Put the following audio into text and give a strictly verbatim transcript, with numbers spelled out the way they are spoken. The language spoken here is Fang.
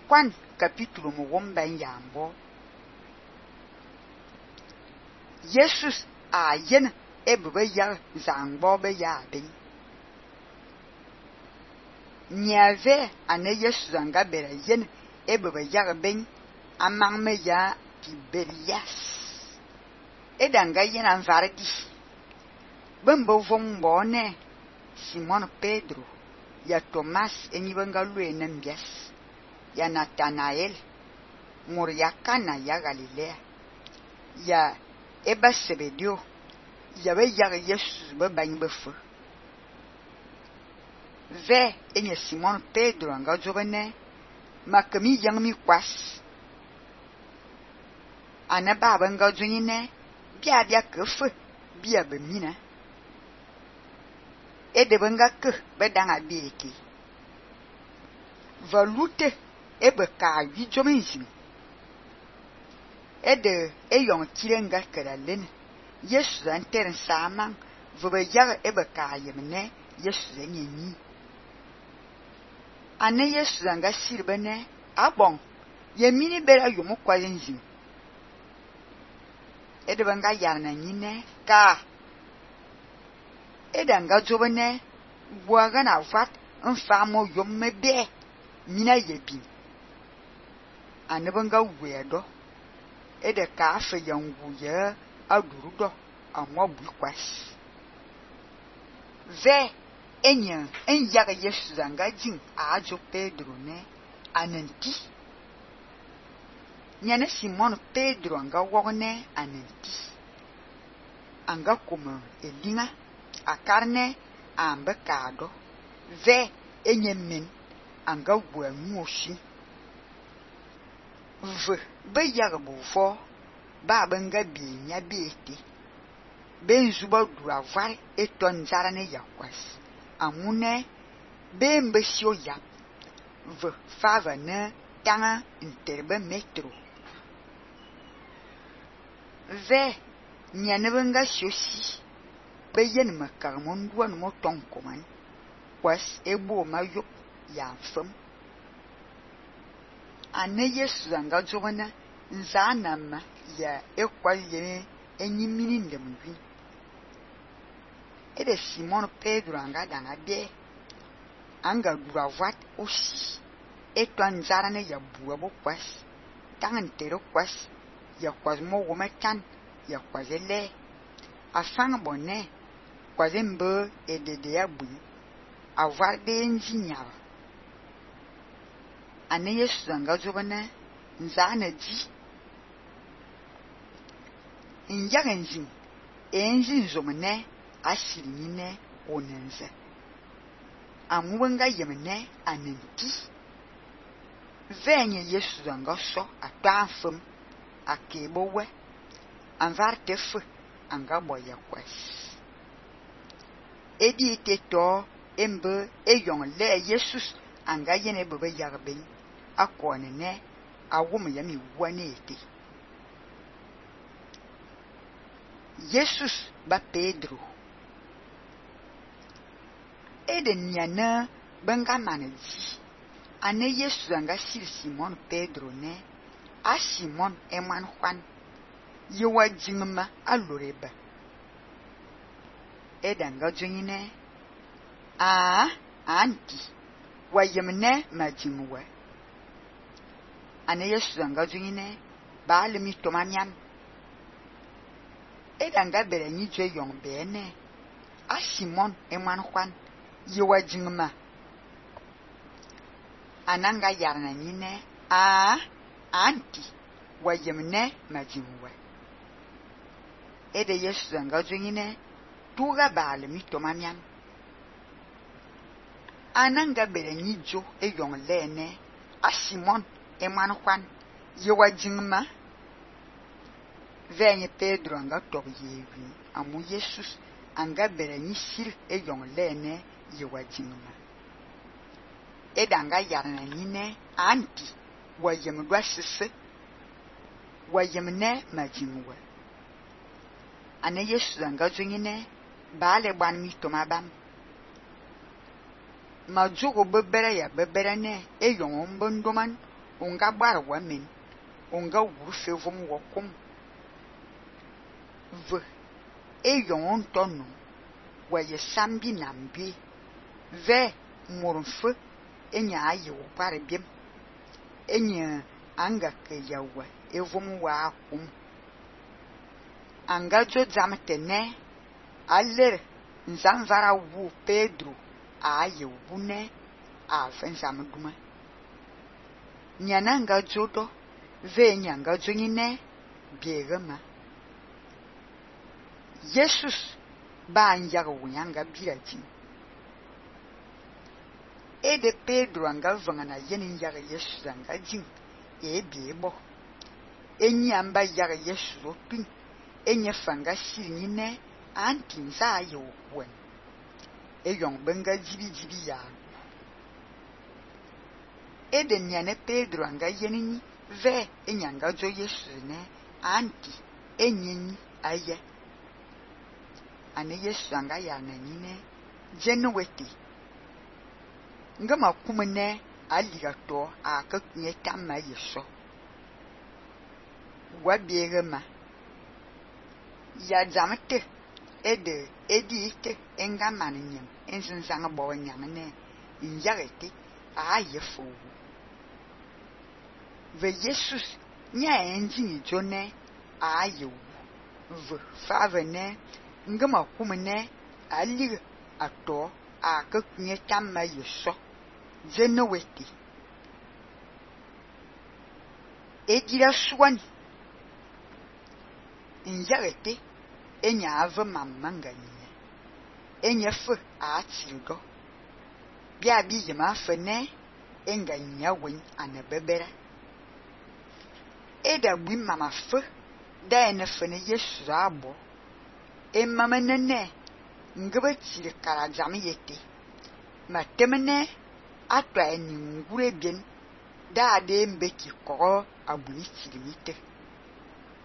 Kwan capítulo mo womba yambo. Jesus a yen ebebe ya zangbo be ya ben. Nyave ane Jesus anga bera yen ebebe ya ben amang me ya Tiberias. Edanga yen anvardi. Bembo vombo ne Simon Pedro, ya Thomas enyibenga lue nembias, ya Nathanael, mur ya Kana ya Galilea, ya Eba Sebedio, ya be ya Jesus be bany be fe. Ve enye Simon Pedro anga jobene, makami yang mi kwas. Ana baba nga jonyine, bia bia kefe, bia be mina. Ede benga ke bedanga bieki. Valute ebe ka wi jomenzi. Ede eyong kirenga keralen. Yesu anteren samang vobe yag ebe ka yemne Yesu enyi. Ane Yesu anga sirbene abong yemini bera yomu kwalenzi. Ede benga yarna nyine ka Edanga jobene buaga na vat nfamo yomme be mina yebi anebanga wedo ede ka afa yangu ye adurudo amwa bukwas ve enya enyaga Yesu zanga jin ajo Pedro ne ananti nyane Simon Pedro anga wogne ananti anga kuma elinga a carne ambe kado ve enyemen anga bua nwoshi v be yagbo fo ba benga bi nya bieti benzuba dura var eton zarane yakwas amune bembe sio ya v fava ne tanga interbe metro ve nyane benga siosi be yen makar mon duan mo ton koman kwas ebo mayop ya fam ane Yesu anga jogana nzana ma ya ekwal ye enyimini ndemwi ede Simon Pedro anga danga be anga duavat osi etwan zarane ya buabo kwas tangantero kwas ya kwas mo wometan ya kwazele afang bonne kwazembe edede ya bu avar benzi nyaba ane Yesu anga jobana nzana di inyagenzi enzi nzomene asiri nyine onenze amuwenga yemene anenti venye Yesu anga so atafum akebowe anvar tefe anga boya kwas edi teto embe eyong le Jesus anga yene bebe yarben akone ne awum yami wanete Jesus ba Pedro eden nyana benga manaji ane Jesus anga sil Simon Pedro ne a Simon eman Juan yewa jingma aloreba edanga jonyine a anti wayemne majingwa ane Yesu anga jonyine baale mi tomanyam edanga bere nyi je yong bene a Simon eman Juan yewa jingma ananga yarna nyine a anti wayemne majingwa ede Yesu anga jonyine tuga baale mi tomanyam ananga bere nyijo e yong lene a Simon eman Juan yewa jingma venye Pedro anga tob yewi amu Jesus anga bere nyisil e yong lene yewa jingma edanga yarna nyine anti wayem dwa sese wayemne majingwa ane Yesu anga jonyine baale ban mi tomabam majogo bebere ya bebere ne e yong bondoman Onga bar wa men. Onga wur fe vom wo kom. Ve. E yon tonu. Wa ye sambi nambi. Ve morfe. Enya aye wo pare biem. Enya anga ke yawa. E vom wa kom. Anga jo zamtene. Aller. Nzamvara wu Pedro. Aye wune. A fensam duma. Nyananga jodo. Ve nyanga jonyine. Biegama. Jesus ba nyaga wunyanga birajin. E de Pedro anga vangana yenin yaga Jesus anga jin. E biebo. Enyi amba yaga Jesus opin. Enye fanga sirinine. Antin sa aye okwen. E yon benga jibi jibi ya. E de nyane Pedro anga yenin ve enyanga jo Jesus ne. Anti enyenyi aye. Ane Jesus anga ya nanyine. Jenweti. Ngama kumene aligato a kakunye tamma yeso. Wabiegema. Ya zamete. Ede edi ite enga maninyem. Ensensanga bawa nyamene. Injagete a yefo. Ve Jesus nya enjini jone a yewu. Ve favene. Ngama kumene aliga ato a kakunye tamma yeso. Zenoweti. Edira swani. Injagete. Enya ave mamanga nye. Enya fe a atildo. Bia bi yema fene. Enga nya wen ane bebere. Eda bwi mama fe. Da ene fene Yesu abo. E mama nene. Ngebe tiri kara jami yete. Ma temene. Atwa eni ngure bien. Da ade mbeki koro abuni tiri mite.